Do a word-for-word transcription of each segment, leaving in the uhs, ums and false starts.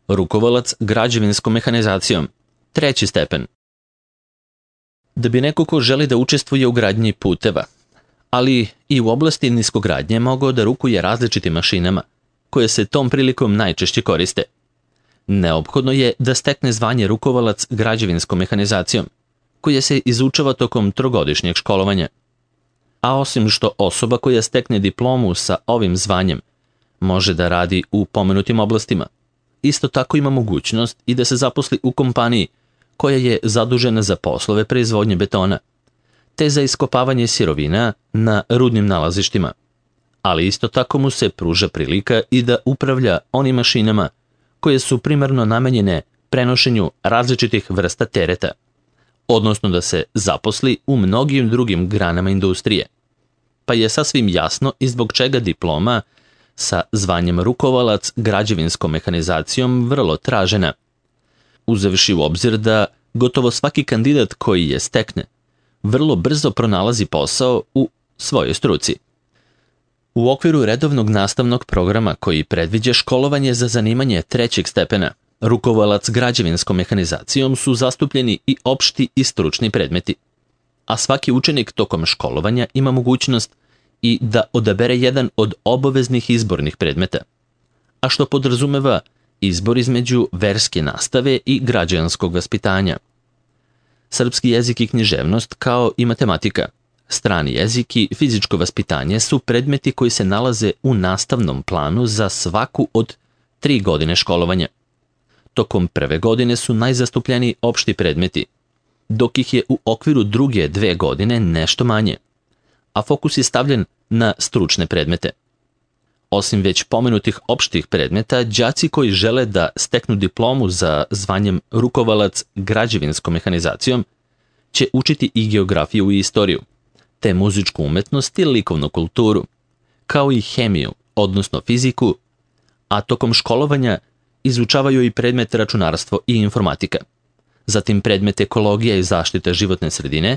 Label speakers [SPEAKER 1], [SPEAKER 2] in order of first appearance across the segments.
[SPEAKER 1] rukovalac građevinskom mehanizacijom, treći stepen. Da bi neko ko želi da učestvuje u gradnji puteva, ali i u oblasti niskogradnje mogao da rukuje različitim mašinama, koje se tom prilikom najčešće koriste. Neophodno je da stekne zvanje rukovalac građevinskom mehanizacijom, koje se izučava tokom trogodišnjeg školovanja. A osim što osoba koja stekne diplomu sa ovim zvanjem može da radi u pomenutim oblastima, isto tako ima mogućnost i da se zaposli u kompaniji koja je zadužena za poslove proizvodnje betona, te za iskopavanje sirovina na rudnim nalazištima, ali isto tako mu se pruža prilika i da upravlja onim mašinama koje su primarno namenjene prenošenju različitih vrsta tereta, odnosno da se zaposli u mnogim drugim granama industrije. Pa je sasvim jasno i zbog čega diploma sa zvanjem rukovalac građevinskom mehanizacijom vrlo tražena, uzevši u obzir da gotovo svaki kandidat koji je stekne vrlo brzo pronalazi posao u svojoj struci. U okviru redovnog nastavnog programa koji predviđa školovanje za zanimanje trećeg stepena, rukovalac građevinskom mehanizacijom su zastupljeni i opšti i stručni predmeti, a svaki učenik tokom školovanja ima mogućnost i da odabere jedan od obaveznih izbornih predmeta, a što podrazumeva izbor između verske nastave i građanskog vaspitanja. Srpski jezik i književnost kao i matematika, strani jezik i fizičko vaspitanje su predmeti koji se nalaze u nastavnom planu za svaku od tri godine školovanja. Tokom prve godine su najzastupljeniji opšti predmeti, dok ih je u okviru druge dve godine nešto manje, a fokus je stavljen na stručne predmete. Osim već pomenutih opštih predmeta, đaci koji žele da steknu diplomu za zvanjem rukovalac građevinskom mehanizacijom će učiti i geografiju i istoriju, te muzičku umetnost i likovnu kulturu, kao i hemiju, odnosno fiziku, a tokom školovanja izučavaju i predmet računarstvo i informatika, zatim predmet ekologija i zaštita životne sredine,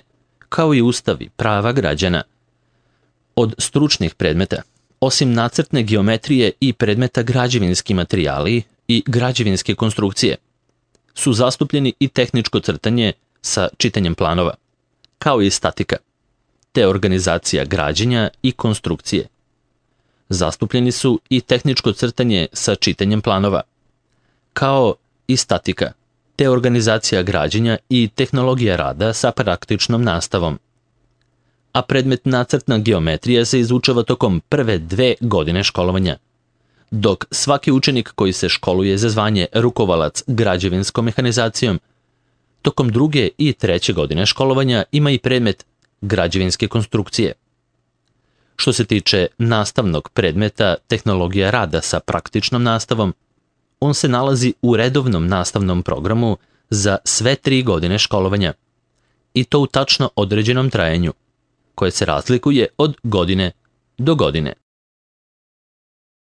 [SPEAKER 1] kao i ustavi, prava građana. Od stručnih predmeta, osim nacrtne geometrije i predmeta građevinski materijali i građevinske konstrukcije, su zastupljeni i tehničko crtanje sa čitanjem planova, kao i statika, te organizacija građenja i konstrukcije. Zastupljeni su i tehničko crtanje sa čitanjem planova, kao i statika, te organizacija građenja i tehnologija rada sa praktičnom nastavom. A predmet nacrtna geometrija se izučava tokom prve dve godine školovanja, dok svaki učenik koji se školuje za zvanje rukovalac građevinskom mehanizacijom tokom druge i treće godine školovanja ima i predmet građevinske konstrukcije. Što se tiče nastavnog predmeta tehnologija rada sa praktičnom nastavom, on se nalazi u redovnom nastavnom programu za sve tri godine školovanja, i to u tačno određenom trajanju, koje se razlikuje od godine do godine.